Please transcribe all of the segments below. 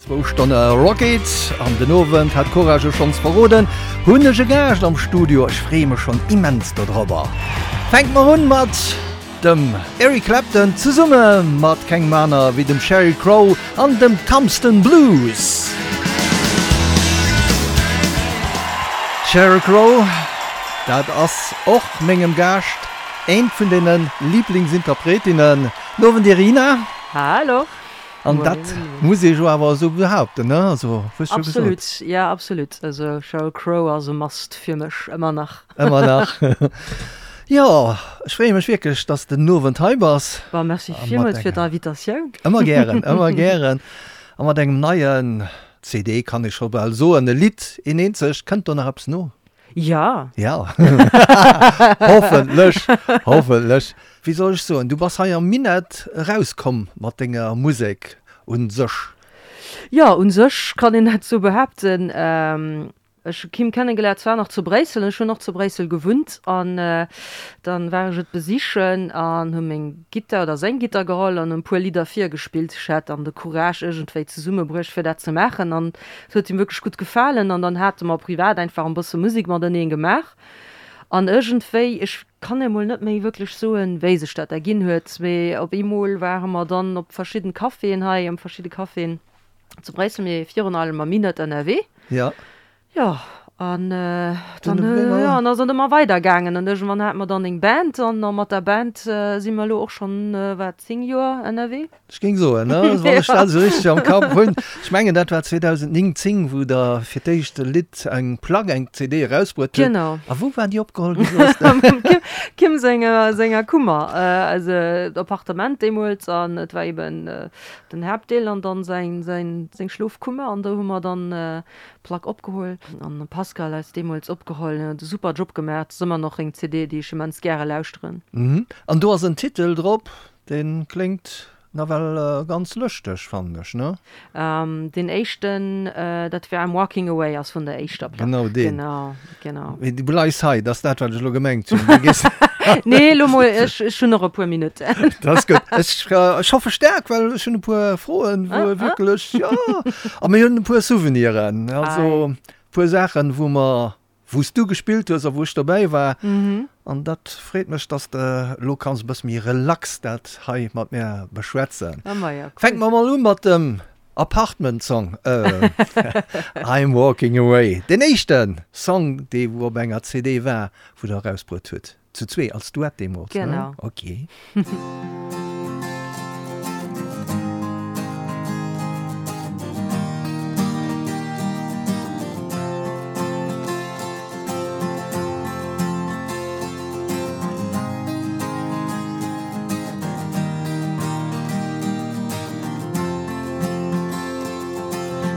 Zwou Stonne Rock It an den Owend, hat d'Cora jo schonns verroden, hunn ech e Gaascht am Studio. Ech freeë mech schonn immens dodrobber. Fänke mer un mat dem Eric Clapton zesumme mat kengem aner wéi dem Sheryl Crow an dem Tombstone Blues. Sheryl Crow, dat ass och mengem Gaascht eent vun deene Liblingsinterpretinnen. Den Owend Irina. Hallo. An dat muss ee jo awer esou behaupten, ne? Also, hues jo gesot. Absolut, ja absolut. Also Sheryl Crow ass e Must fir mech, ëmmer nach. Ëmmer nach. Jo, ech freeë mech wierklech, dass de den Owend hei bass. Bon, merci villmools fir d'Invitatioun. Ëmmer gären, ëmmer gären. A mat engem neien CD, kann ee scho bal soen, e Lidd, een eenzegt. Kënnt do nach eppes no? Ja. Ja. Hoffentlech, hoffentlech. Wéi soll ech soen, du bass hei am Minett erauskomm mat denger Musek un sech. Jo, un sech kann een dat sou behaapten. Ech hu Kim kennegeléiert, zwar nach zu Bréissel, ech hunn och zu Bréissel gewunnt, an dann war ech et besichen an hu meng Gittar oder seng Gittar geholl an e puer Lidder virgespillt. Ech hat dann de Courage iergendwéi zesummebruecht fir dat ze maachen an et huet him wierklech gutt gefalen an dann hate mer privat einfach en bësse Musek mateneen gemaach an iergendwéi, ech kann emol net méi wierklech soen wéi sech dat erginn huet, mee op eemol ware mer dann op verschidden Caféen hei, am verschidde Caféen zu Bréissel, mee virun allem am Minett ënnerwee. Ja. Jo, an dann, jo, an ass et ëmmer weider gaangen an iergendwann hate mer dann eng Band an mat der Band si mer elo och schonn, wat, 10 Joer ënnerwee. Ech géing soen, ne, wann ech dat esou richteg am Kapp hunn. Ech mengen, dat war 2009, 10, wou Der fir d'éischt e Lidd, eng Plack, eng CD erausbruet hutt. Genau. A wou war déi opgeholl ginn, soss de? Am Kim, Kim senger, senger Kummer, also d'Appartement deemools an et war eben den Haaptdeel an dann säin, säin, seng Schlofkummer an do hu mer dann d'Plack opgeholl. An de Pascal eis deemools opgeholl, en huet e super Job gemaach. Et ass ëmmer nach eng CD, déi ech immens gäre lauschteren. An do ass en Titel drop, Deen kléngt nawell ganz lëschteg, fannen ech, ne? Deen éischten, dat war I'm Walking Away, ass vun der éischter Plack. Genau deen. Genau, genau. Mee du bleifs hei, dat ass dat, wat ech elo gemengt hunn. Du gees. Nee, elo mol, ech, ech hunn nach e puer Minutten. Dat ass gutt. Ech, ech hoffe staark, well ech hunn e puer Froen, wou wierklech, jo, a mir hunn e puer Souveniren, also e puer Saachen, wou mer wou s du gespillt hues a wou ech dobäi war. An dat freet mech, dass de elo kanns e bësse méi relax dat hei mat mär beschwätzen. Fänke mer mol u mat dem Apartment Song, I'm Walking Away, deen éischte Song, dee wou op enger CD war, wou der erausbruet hutt. Zu zwee als Duett deemools, ne? Genau. Ok.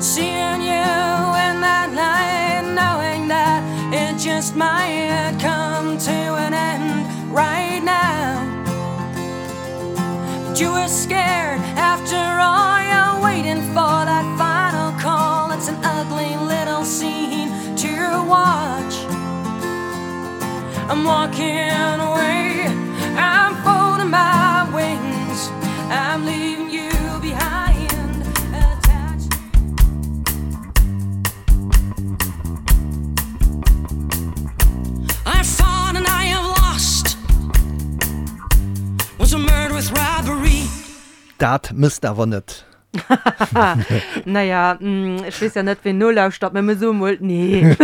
Seeing you in that light, knowing that it just might come to an end right now. But you were scared after all, you're waiting for that final call. It's an ugly little scene to watch. I'm walking away, I'm folding my wings, I'm leaving you behind. Attached. I fought and I have lost. Was a murder with robbery. Dat mësst awer net. Naja, ech weess ja net, ween nolauschtert, mä mir soe mol nee.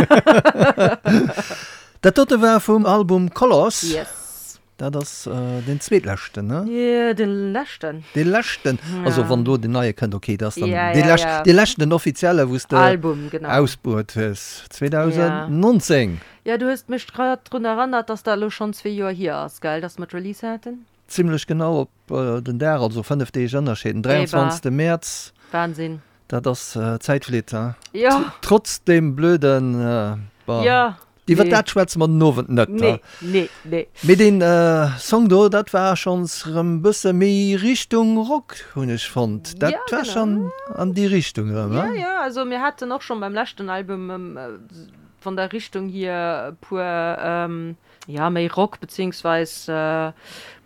Dat dote war vum Album Colors. Yes. Dat ass deen zweetleschten, ne? Jo, dee leschten. Dee leschten. Also wann elo deen neie kënnt, okay, dat ass dann dee leschten, dee leschten, den offizielle, wou s de Album, genau. ausbruet hues, 2019. Jo, du hues mech grad drun erënnert, dass dat elo schonn zwee Joer hier ass, gell, dass mer d'Release haten? Zimlech genau op den Dag, also 5 Deeg Ënnerscheed, den 23. Mäerz. Wahnsinn. Dat ass Zäit flitt, he? Jo. Trotz deem blöden, bon, Jo. iwwer dat schwätze mer den Owend net, he? Nee, nee, nee. Mee deen Song do, dat war schonns rëm bësse méi Richtung Rock, hunn ech fonnt. Dat Ja, war genau. schonn an déi Richtung rëm, Ja, he? ja, also mir haten och schonn beim leschten Album. Von der Richtung hier e puer, jo, méi Rock, beziehungsweis mir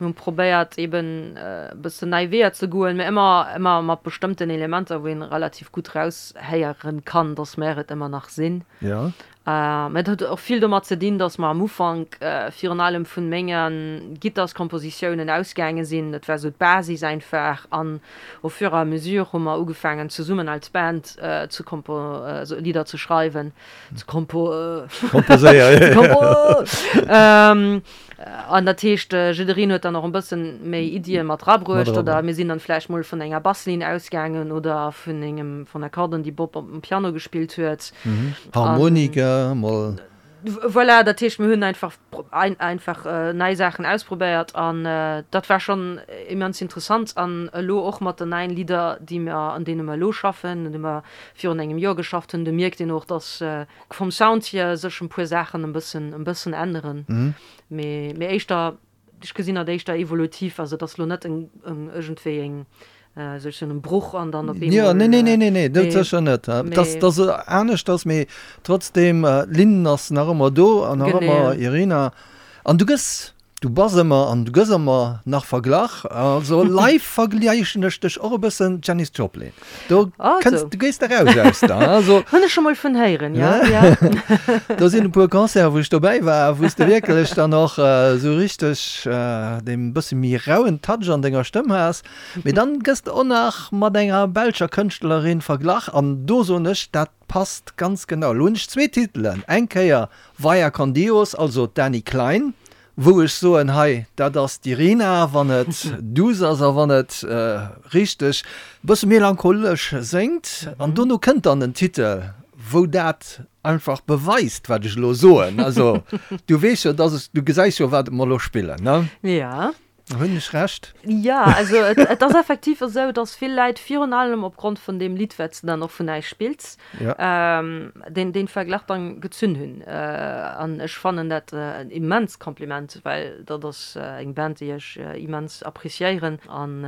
hunn probéiert eben e bëssen nei Weeër ze goen, mä ëmmer, ëmmer mat bestëmmten Elementer, wou een relativ gutt raushéieren kann, dass mär et ëmmer nach sinn. Jo. Mä et huet och vill domat ze dinn, dass mer am Ufank virun allem vun menge Gitterskompositiounen ausgaange sinn. Dat war esou d'Basis einfach an au fur et à mesure hu mer ugefaangen zesummen als Band ze kompo, Lidder ze schreiwen. Ze kompo Komposéieren. Kompo An dat heescht, jiddereen huet dann och e bëssen méi Iddie mat rabruecht oder mir sinn dann vläicht mol vun enger Basslinn ausgaangen oder vun engem vun Akkorden, déi Bob op dem Piano gespillt huet. Harmonika mol. Voilà, dat heescht, mir hunn einfach einfach nei Saachen ausprobéiert an dat war schonn immens interessant. An elo och mat den neien Lidder, déi mer, an deene mer elo schaffen, un deene mer virun engem Joer geschafft hunn, do mierkt een och, dass vum Sound hier sech en puer Saachen en bëssen en bëssen änneren, mee mee éischter, ech gesinn dat éischter evolutiv, also et ass lo net en en iergendwéi eng sech soen en Bruch an dann op eemol. Jo, nee nee nee nee nee, dat sécher net, dass dass se anescht ass, mee trotzdem d'Linn ass nach ëmmer do an nach ëmmer Irina an du gëss Du bass ëmmer an du gëss ëmmer nach verglach. Also live vergläichen ech dech och e bëssen Janis Joplin. Do kënns, du gees eraus aus der, also. Hunn ech scho mol vun héieren, jo, jo. Do sinn e puer Concerten, wou ech dobäi war, wou s de wierklech dann och esou richteg dee bësse méi rauen Touch an denger Stëmm has. Mee dann gëss de och nach mat enger belscher Kënschtlerin verglach an do soen ech, dat passt ganz genau. Elo hunn ech zwee Titelen, eng Kéier Vaya con Dios, also d'Dany Klein, wou ech soen, hei, dat ass d'Irina, wann et duuss ass a wann et richteg e bësse melancholesch séngt. An dono kënnt dann en Titel, wou dat einfach beweist, wat ech elo soen. Also du weess jo, dass ech, du gesäis jo, wat mer elo spillen, ne? Ja. Hunn ech Recht? Jo, also et ass effektiv esou, datt vill Läit virun allem opgrond vun deem Lidd, wat s de dann och vun äis spills, deen deen Verglach dann gezunn hunn. An ech fannen dat en immenst Kompliment, well dat ass eng Band, déi ech immens appreciéieren an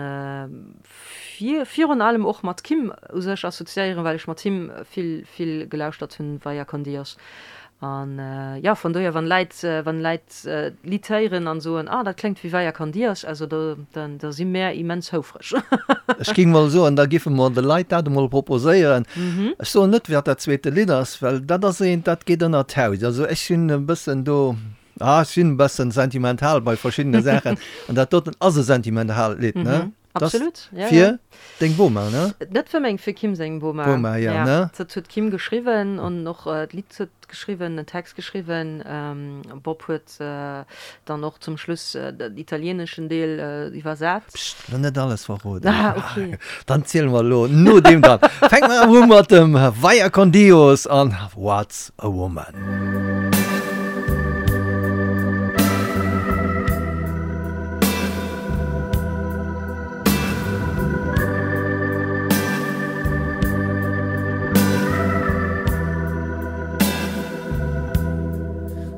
virun allem och mat Kim u sech assoziéieren, well ech mat him vill, vill gelauschtert hunn, Vaya con Dios. An jo, von dohier, wann Läit, wann Läit d'Lidd héieren an soen, ah, dat kléngt wéi Vaya con Dios, also do, da, da si mär immens houfreg. Ech géing mol soen, da giffe mer de Leit dat emol proposéieren. Ech soen net, wat dat zweete Lidd ass, well dat ass eent, dat geet ënner d'Haut. Also ech sinn e bëssen do, ah, ech sinn e bëssen sentimental bei verschiddene Saachen an dat doten ass e sentimentalt Lidd, ne? Absolut, ja, fir ja. Deng Boma, ne? Net fir meng, fir Kim seng Boma. Boma, ja, ja. Ne? Dat huet d'Kim geschriwwen an och äh, d'Lidd huet geschriwwen, den Text geschriwwen. Ähm, Bob huet äh, dann och zum Schluss äh, den italieeneschen Deel äh, iwwersat. Psst, lo net alles verroden. Ah, okay. Dann ziele mer lo no deem dann. Fänke mer awer u mat dem Vaya con Dios an What's a Woman.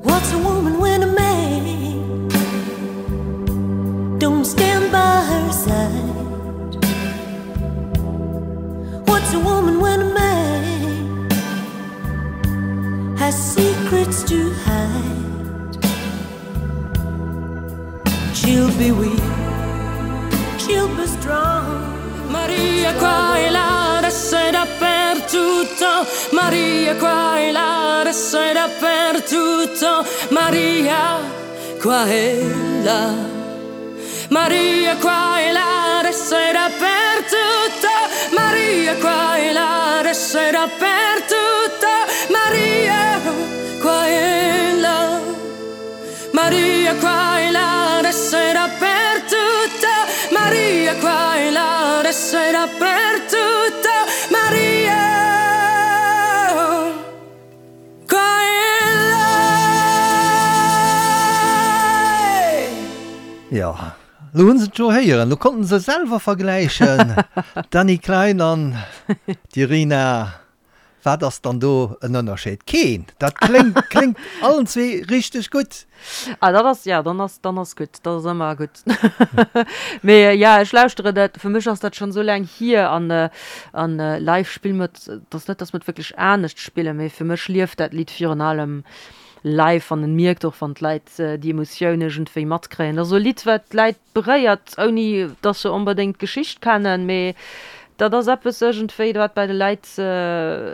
What's a woman when a man don't stand by her side? What's a woman when a man has secrets to hide? She'll be weak, she'll be strong. Maria qua e là, adesso è dappertutto. Maria qua e là, adesso è dappertutto. Maria qua e là. Maria qua e là, adesso è dappertutto. Maria qua e là, adesso è dappertutto. Maria qua e là. Maria qua e là, adesso è dappertutto. Maria qua e là, adesso è dappertutto. Maria qua e là. Jo, lo hunn se et jo héieren, lo konnten se selwer vergläichen, d'Dany Klein an d'Irina. Wat ass dann do en Ënnerscheed? Keen! Dat kléngt, kléngt allen zwee richteg gutt. Ah, dat ass, ja, dann ass, dann ass gutt. Dat ass ëmmer gutt. Mee ja, ech lauschtere dat, fir mech ass dat schonn esou laang hier an, an live spille mer et, et ass net, datt mer et wierklech anescht spillen, mee fir mech lieft dat Lidd virun allem live an en mierkt och, wann d'Leit déi Emotioun iergendwéi matkréien. Dat ass esou e Lidd, wat d'Läit beréiert, ouni dass se onbedéngt d'Geschicht kennen, mee dat ass eppes iergendwéi, wat bei de Leit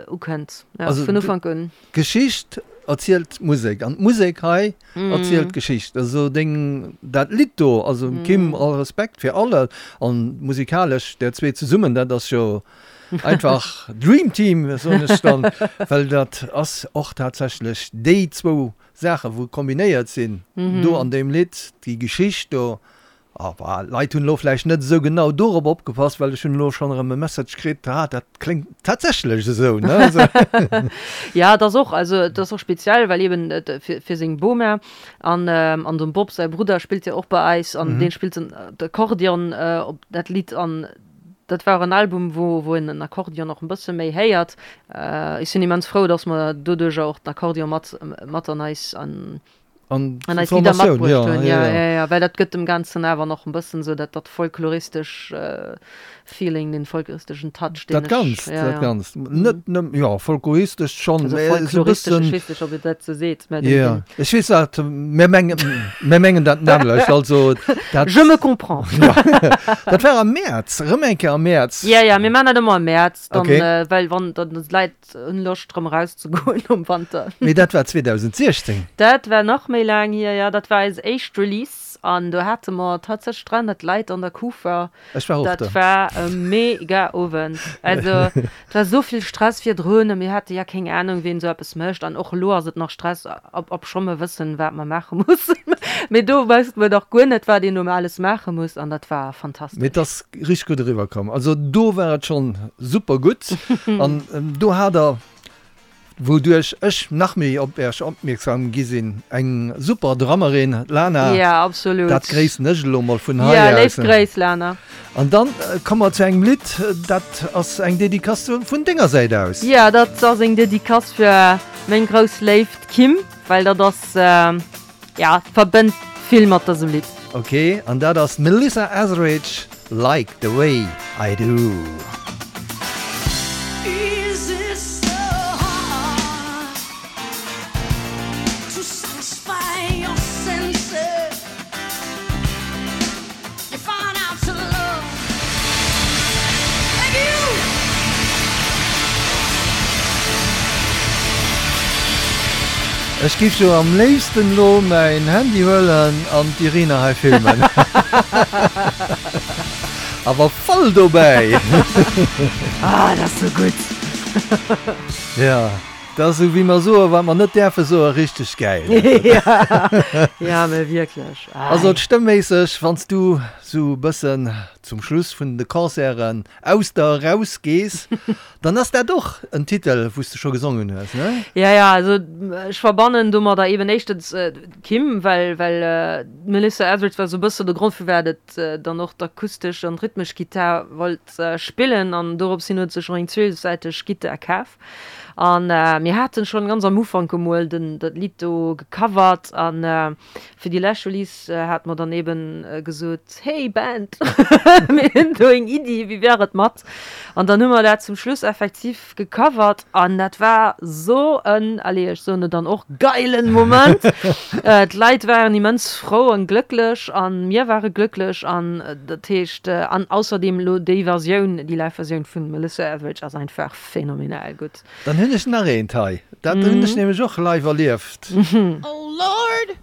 ukënnt, ja, vun Ufank un. D'Geschicht erzielt d'Musek an d'Musek hei erzielt d'Geschicht. Also deng, dat Lidd do, also Kim, all Respekt fir alle an musikalesch där zwee zesummen, dat ass jo einfach Dream Team, soen ech dann, well dat ass och tatsächlech déi zwou Saachen, wou kombinéiert sinn do an deem Lidd, déi Geschicht do. Ah, bah, d'Leit hunn elo vläicht net esou genau dorop opgepasst, well ech hunn elo schonn erëm e Message kritt, ah, dat kléngt tatsächlech esou, ne? Ja, et ass och, also et ass och speziell, well eben et fir, fir seng Boma an, an dem Bob säi Brudder spillt jo och bei eis an dee spillt den Akkordeon op dat Lidd an Dat war en Album, wou wou een den Akkordeon och en bësse méi héiert. Ech sinn immens frou, dass mer doduercher och den Akkordeon mat mat an eis an an an eis Lidder matbruecht hunn. Ja, ja, ja, well dat gëtt dem Ganzen awer nach en bëssen esou dat dat folkloristesch Feeling, den folkloristeschen Touch, deen ech. Dat Ganzt, dat Ganzt. Net nëmmen, jo, folkloristesch schonn, mä esou e bëssen. Folkloristesch, ech weess net, ob een dat esou seet, mä den, den. Ech weess dat, mir mengen, mir mengen dat nämmlecht, also dat. Je me comprends. Dat war am Mäerz, erëm eng Kéier am Mäerz. Ja, ja, mir maachen dat ëmmer am Mäerz, dann, well wann dann d'Leit hunn Loscht erëm erauszegoen nom Wanter. Mee dat war 2016. Dat war nach méi laang hier, ja. Dat war eis éischt Release an do hate mer tatsächlech 300 Leit an der Kufa. Ech war och do. Dat war e mega Owend. Also et war esou vill Stress virdrun a mir hate ja keng Anung, wien esou eppes mécht. An och elo ass et nach Stress, ob obscho mer wëssen, wat mer maache mussen. Mee do wousste mer nach guer net, wat een do alles maache muss an dat war fantastesch. Mee et ass richteg gutt eriwwer komm. Also do war et schonn super gutt an do hat der Wouduerch ech nach méi op Äech opmierksam gi sinn. Eng super Drummerin, d'Lana. Ja, absolut. Dat gréissen ech elo mol vun hei aus. Ja, léif Gréiss, Lana. An dann komme mer zu engem Lidd, dat ass eng Dedicace vun denger Säit aus. Ja, dat ass eng Dedicace fir meng grouss Léift Kim, well dat ass, ja, verbënnt vill mat dësem Lidd. Ok, an dat ass d'Melissa Etheridge, Like the way I do. Ech giff jo am léifsten lo mäin Handy huelen an d'Irina hei filmen. Awer voll dobäi! Ah, dat ass sou gutt! Ja, dat ass sou wéi mer soen, wat mer net däerfe soen, richteg gäil. Ja, mä wierklech. Also stëmmméisseg, wann s du sou e bëssen zum Schluss vun de Concerten aus der eraus gees, dann ass dat och en Titel, wou s de scho gesongen hues, ne? Ja, ja, also ech verbannen domadder eben éischtens d'Kim, well, well d'Melissa Etheridge war sou e bëssen de Grond, firwat et dann och d'akustesch an d'rhythmesch Gittar wollt spillen an dorops hin huet sech och eng zwölfsäiteg Gittar kaf. An mir haten schonn ganz am Ufank emol den, dat Lidd do gecovert an Fir déi lescht Release hate mer dann eben gesot, Hey Band, mir hunn do eng Iddi, wéi wär et mat? An dann hu mer dat zum Schluss effektiv gecovert an dat war sou en, allez, ech soen et dann och, geilen Moment. D'Leit waren immens frou an glëcklech an mir ware glëcklech an dat heescht, an ausserdeem elo déi Versioun, déi Live-Versioun vun Melissa Etheridge ass einfach phänomenal gutt. Dann hunn ech nach eent hei, dat hunn ech nämlech och live erlieft. Oh Lord,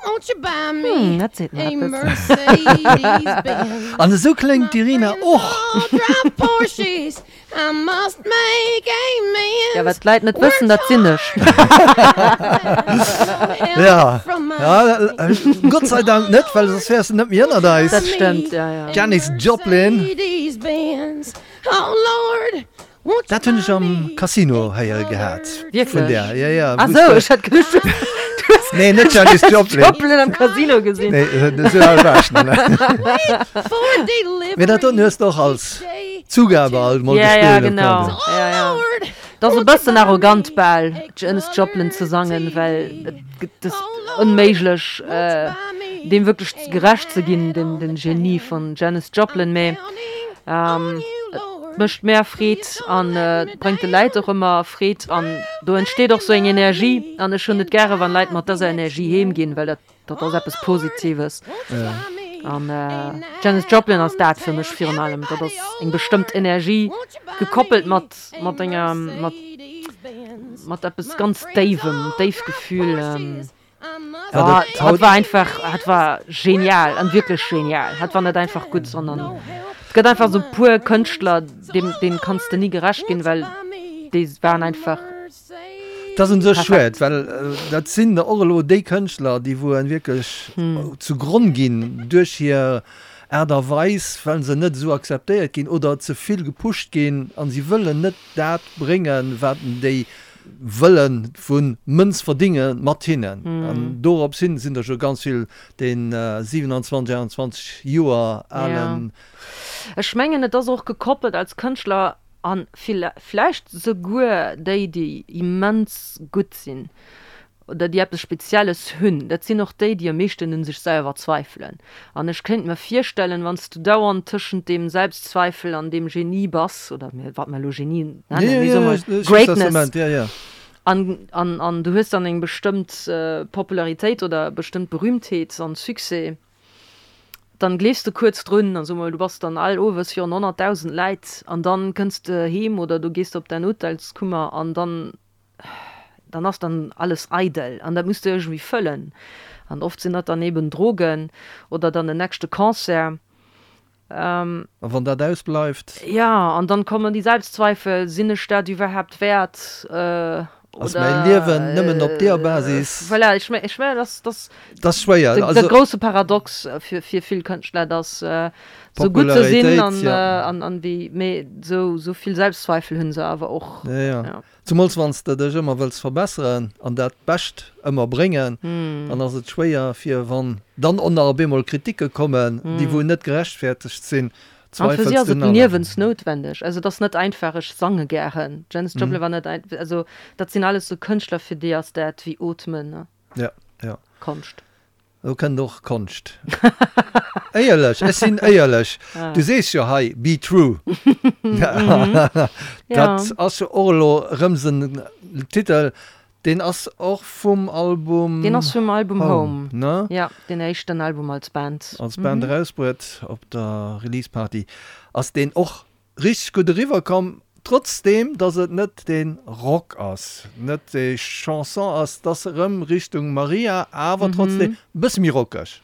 won't you buy me Hm, dat seet mer a eppes. Mercedes-Benz? An esou kléngt My d'Irina friends och. all drive Porsches, I must make Ja, amends. wat d'Leit net wëssen, Worked dat sinn ech. hard, but no help Ja, from my ja, friends. Gott sei Dank net, well soss wäers de net méi ënnert eis. Dat stëmmt, ja, ja. A Janis Joplin. Mercedes-Benz. Oh Lord, Dat hunn ech am Casino héiere gehat. Wierklech? Vun där, ja, ja. Ah sou, ech hat geduecht, du hues Nee, net Janis Joplin. Joplin am Casino gesinn. Nee, esou al war ech nach net. Mee dat doten hues de och als Zugabe alt mol Ja, ja, gespillt. genau. Ja, ja. Et ass e bëssen arrogant bal, Janis Joplin ze sangen, well et ass onméiglech, deem wierklech gerecht ze ginn, dem Genie vun Janis Joplin. Mee et mécht mär Freed an et bréngt de Läit och ëmmer Freed an do entsteet och sou eng Energie an ech hunn et gäre wann Leit mat dëser Energie heem ginn, well dat Dat ass eppes Positives. An d'Janis Joplin ass dat fir mech virun allem. Dat ass eng bestëmmt Energie, gekoppelt mat, mat enger, mat, mat eppes ganz Déiwem, déif Gefühl. Ja, hat war einfach, hat war genial, an wierklech genial. Hat war net einfach gutt, sondern et gëtt einfach esou puer Kënschtler, deem, deem kanns de ni gerecht ginn, well déi waren einfach. Dat ass un sech schued, well dat sinn och elo déi Kënschtler, déi wou en wierklech zu Gronn ginn duerch hir Aart a Weis, well se net esou akzeptéiert ginn oder ze vill gepusht ginn a si wëllen net dat bréngen, wat déi wëlle vu Mënz verdinge mat hinnen. An dorops hin sinn der scho ganz vill dee 27, 28 Joer alen. Ech mengen, et ass och gekoppelt als Kënschtler An vläicht souguer déi, déi immens gutt sinn oder déi eppes Spezielles hunn, dat sinn och déi, déi am meeschten un sech selwer zweifelen. An ech kéint mer virstellen, wann s du dauernd tëschent deem Selbstzweifel an deem Genie bass, oder wat mer elo Genie nennen, mee soe mer Greatness, an, an du hues dann eng bestëmmt Popularitéit oder bestëmmt Berühmtheet an Succès, Dann gleefs de kuerz drun an so mol du bass dann all owes virun 100.000 Läit an dann kënns de heem oder du gees op däin Hotelskummer an dann dann ass dann alles eidel an dat muss de iergendwéi fëllen an oft sinn dat dann eben Drogen oder dann den nächste Concert. A wann dat ausbleift? Jo, an dann kommen déi Selbstzweifel, sinn ech dat iwwerhaapt wäert? Ass mäi Liewen nëmmen op deeër Basis? Voilà, ech mengen, dass dat ass schwéier, de grousse Paradox fir vill Kënschtler, dass sou gutt se sinn an wéi, mee sou vill Selbstzweifel hunn se awer och. Jo, jo. Zemools wann s de dech ëmmer wëlls verbesseren an dat Bescht ëmmer bréngen, dann ass et schwéier fir wann dann och nach op eemol Kritike kommen, déi wou net gerechtfertegt sinn, An fir si ass et liewensnoutwendeg. Also et ass net einfach, ech sange gären. Janis Joplin war net ein, also dat sinn alles sou Kënschtler, fir déi ass dat wéi Ootmen, ne? Ja, ja. Konscht. Do kënnt och Konscht. Éierlech, ech sinn éierlech. Du sees jo hei, be true. Dat ass jo och elo erëm esou en Titel, Deen ass och vum Album Deen ass vum Album Home, ne? Ja, deen éischten Album als Band. Als Band erausbruet op der Release Party. Ass deen och richteg gutt eriwwer komm, trotzdeem dass et net dee Rock ass, net déi Chanson ass, t'ass erëm Richtung Maria, awer trotzdeem e bësse méi rockeg.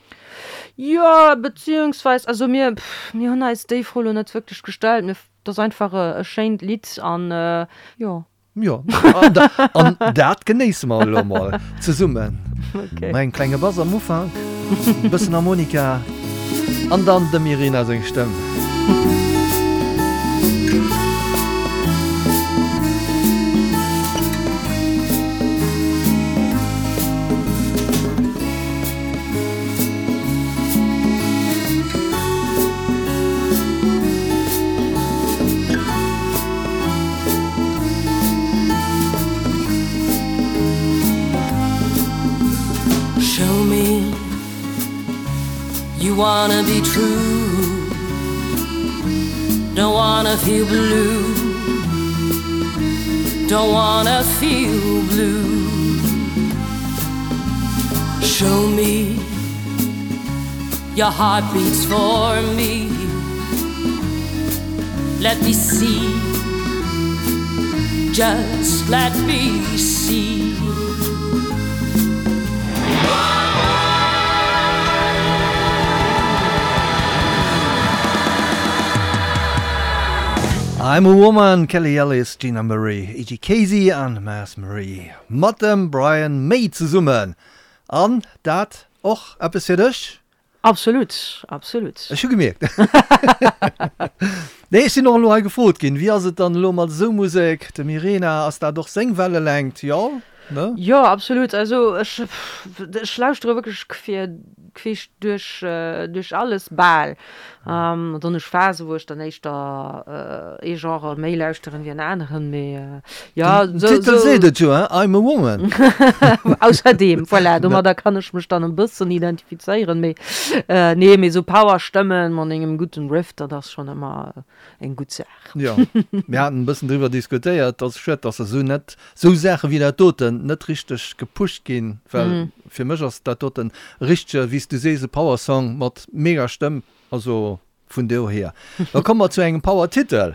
Jo, beziehungsweis, also mir, mir hunn eis déi Fro lo net wierklech gestallt, mir, t'ass einfach e schéint Lidd an jo. Jo, an dat genéisse mer elo mol zesummen. Okay. Mat engem klenge Bass am Ufank, e bëssen Harmonika an dann dem Irina seng Stëmm. Show me you wanna be true Don't wanna feel blue Don't wanna feel blue Show me your heart beats for me Let me see Just let me see I'm a Woman, Kelly Ellis, Gina Murray, E.G. Casey an Mazz Murray mat dem Brian May zesummen. An dat och eppes fir dech? Absolut, absolut. Ech hu gemierkt. Nee, ech sinn och elo hei gefrot ginn, wéi ass et dann elo mat esou Musek? Dem Irena, ass dat och seng Wellelängt? Jo. Ne? Jo, absolut. Also ech, ech lauschtere wierklech quer, queesch duerch, duerch alles bal. An dann hu ech Phasen, wou ech dann éischter ee Genre méi lauschteren wéi en aneren, mee jo, Den sou, Titel sou. seet et jo, hein, I'm a woman. Ausserdeem, voilà, domadder kann ech mech dann e bëssen identifizéieren, mee nee, mee sou Power-Stëmmen mat engem gudden Riff, dat ass schonn ëmmer eng gutt Saach. Jo, mir haten e bëssen driwwer diskutéiert, ass schued, dass esou net, esou Saache wéi dat doten net richteg gepusht ginn, well fir mech ass dat doten e richtege, wéi s du sees, e Power-Song mat mega Stëmm, also vun dohier. Da komme mer zu engem Power-Titel,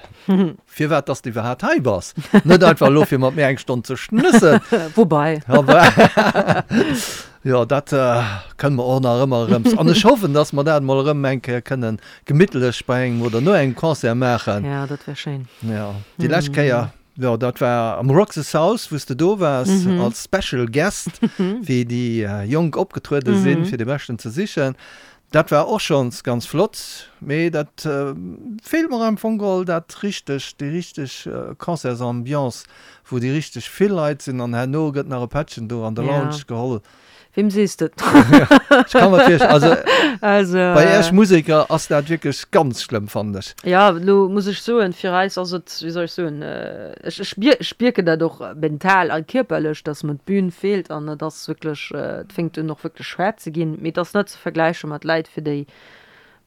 firwat dass de iwwerhaapt hei bass, net einfach elo fir mat mir eng Stonn ze schnëssen. Woubai. Jo, dat kënne mer och nach ëmmer erëm. An ech hoffen, dass mer dat emol erëm eng Kéier kënnen gemittlech bei engem oder no engem Concert maachen. Ja, dat wär schéin. Jo, déi lescht Kéier, jo, dat war am Rock the South, wou s de do waars als Special Guest, wéi déi Jonk opgetruede sinn, fir de Beschten ze sichen. Dat war och schonns ganz flott, mee dat feelt mer am Fong geholl, dat richteg, déi richteg Concertsambiance, wou déi richteg vill Leit sinn an herno gëtt nach e Pättchen do an der Lounge geholl. Weem sees de et? Ech kann mer virstellen, also, also bei Iech Museker ass dat wierklech ganz schlëmm, fannen ech. Jo, elo muss ech soen, fir eis ass et, wéi soll ech soen, ech, ech spier, ech spierken dat och mental a kierperlech, dass mer d'Bün feelt an et ass wierklech, et fänkt un och wierklech schwer ze ginn, mee et ass net ze vergläiche mat Läit, fir déi,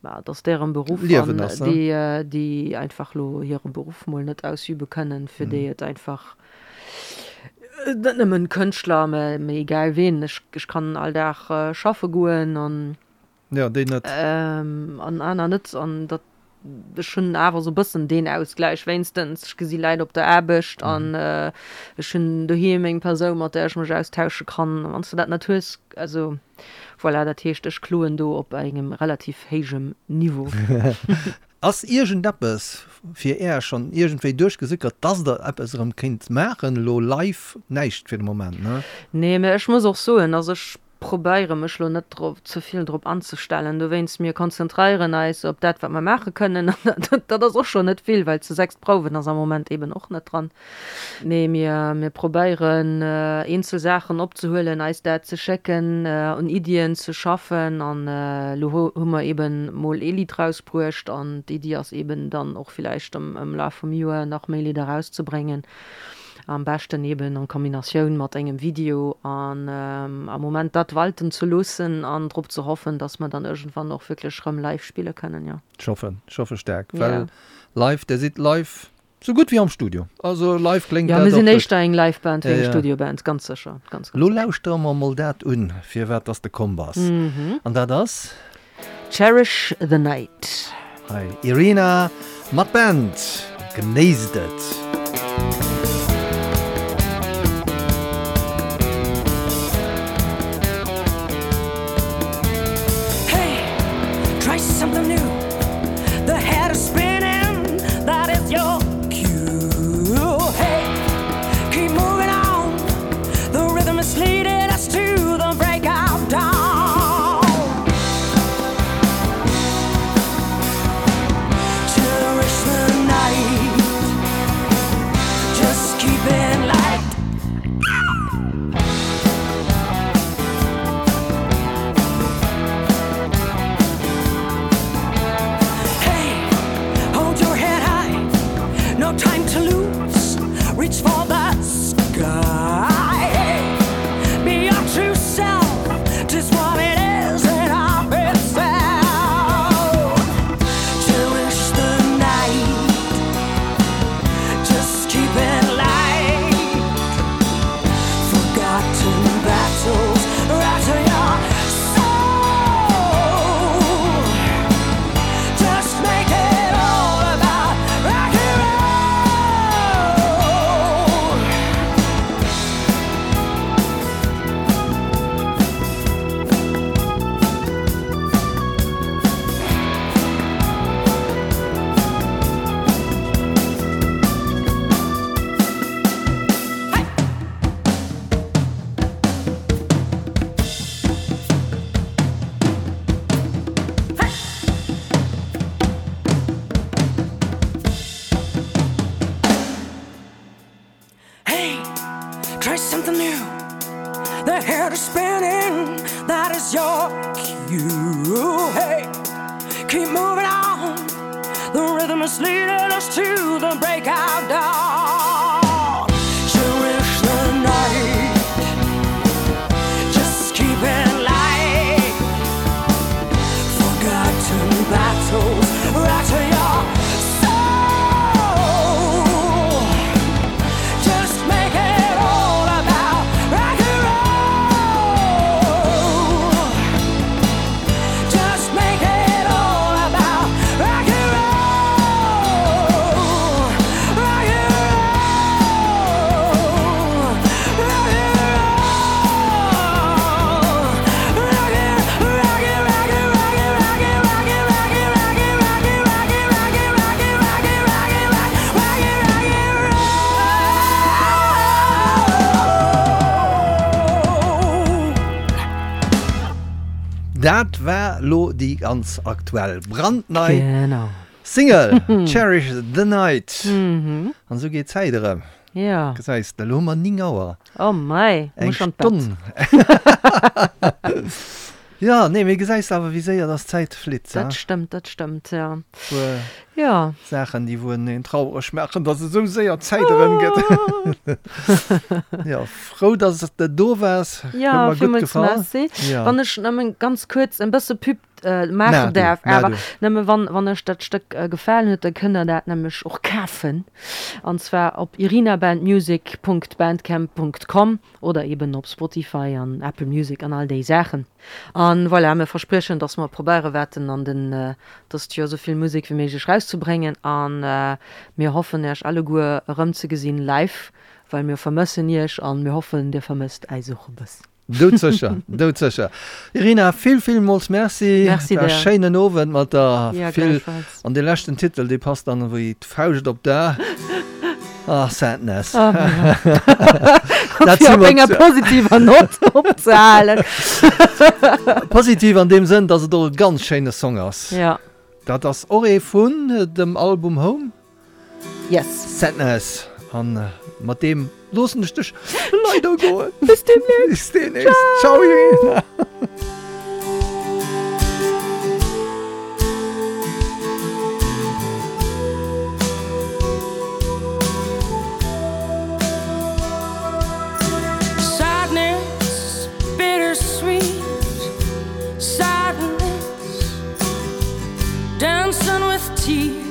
ma et ass deren Beruff Liewen an ass, ne? déi, déi einfach elo hire Beruff mol net ausübe kënnen, fir déi et einfach Net nëmmen Kënschtler, mä egal ween. Ech, ech kann all Dag schaffe goen an. Ja, déi net. An aner net. An dat, ech hunn awer esou e bëssen deen Ausgläich wéinstens. Ech gesi Läit op der Aarbecht an ech hunn doheem eng Persoun, mat där ech mech austausche kann. Wann s de dat net hues, also voilà, dat heescht, ech kloen do op engem relativ héijem Niveau. Ass iergendeppes fir Äer schonn iergendwéi duerchgesickert, dass Der eppes erëm kéint maachen elo live? Näischt fir de Moment, ne? Nee, mä ech muss och soen, also ech probéiere mech elo net drop, ze vill drop anzestellen. Dowéinst, mir konzentréieren eis op dat, wat mer maache kënnen. An dat ass och schonn net vill, well zu sechst prouwen ass am Moment eeben och net dran. Nee, mir, mir probéieren eenzel Saachen opzehuelen, eis dat ze schécken, un Iddien ze schaffen. An elo hu mer eeben mol ee Lidd rausbruecht an d'Iddi ass eeben dann och villäicht am, am Laf vum Joer nach méi Lidder rauszebréngen. Am beschten eeben an Kombinatioun mat engem Video an am Moment dat walten ze loossen an drop ze hoffen, dass mer dann iergendwann och wierklech rëm live spille kënnen, jo. Ech hoffen, ech hoffe staark, well live, Dir sidd live Sou gutt wéi am Studio. Also live kléngt dat och gutt. Jo, mir sinn éischter eng Live Band wéi eng Studio Band, ganz sécher. Ganz, ganz Lo lauschtere mer mol dat un, firwat dass de komm bass. An dat ass? Cherish the Night. Hei Irina mat Band. Genéisst et! Hey, try something new. The head is spinning, that is your cue. Hey, keep moving on. The rhythm is leading us to the break of dawn. Cherish the night. Just keep it light. Hey, hold your head high. No time to lose. Reach for the sky. Hey, be your true self. Just what it is and of itself. Cherish the night. Just keep it light. Forgotten battles rattle your soul. Just make it all about rock and roll. Hey, Try something new. The head is spinning, that is your cue. Hey, keep moving on. The rhythm is leading us to the break of dawn. Cherish the night. Just keep it light. Forgotten battles right your soul. Just make it all about rock and roll. Just make it all about rock and roll. Rock and roll. Rock and roll. Rock and rock and rock and rock and rock and rock and rock and rock and rock and rock and rock and rock and rock and rock and rock rock and rock and roll. Dat war lo déi ganz aktuell, brandnei Genau. Single Cherish the Night. An esou geet d'Zäit erëm. Ja. Gesäis de, elo hu mer 9 Auer. Oh mei, Eng muss an d'Bett. Stonn. Jo, nee, mee gesäis de awer, wéi séier dass d'Zäit flitt, Dat stëmmt, dat stëmmt, jo. Puer Jo. Saachen, déi wou een traureg maachen, dass esou séier d'Zäit erëm gëtt. Jo, frou, dass de do waars. Jo, Huet mer gutt villmools gefall. Merci. Jo. Wann ech nëmmen ganz kuerz en bësse Pub maachen Maach du, däerf, maach awer du. nëmme wann, wann iech dat Stëck gefalen huet, da kënnt der dat nämlech och kafen, an zwar op irinabandmusic.bandcamp.com. Oder eben op Spotify an Apple Music an all déi Saachen. An voilà, mir verspriechen, dass mer probéiere waerten an den dëst Joer souvill Musek wéi méiglech rauszebréngen. An mir hoffen Äech alleguer erëmzegesinn live, well mir vermëssen Iech an mir hoffen dir vermësst äis och e bëssen. Doudsécher, doudsécher. Irina, vill, villmools Merci. Merci War e dir. schéinen Owend mat der. Ja, Vill. gläichfalls. An dee leschten Titel, dee passt dann wéi d'Fauscht op d'A. Ah, Sadness. Ah, Dat Fir si op mer enger positiver Nott opzehalen. Positiv an deem Sënn, dass et och e ganz schéine Song ass. Ja. Dat ass och ee vun dem Album Home. Yes. Sadness. An mat deem loossen ech dech leider goen. Bis deemnächst. Bis deemnächst. Ciao, Irina. Sadness, bittersweet sadness, dancing with tears.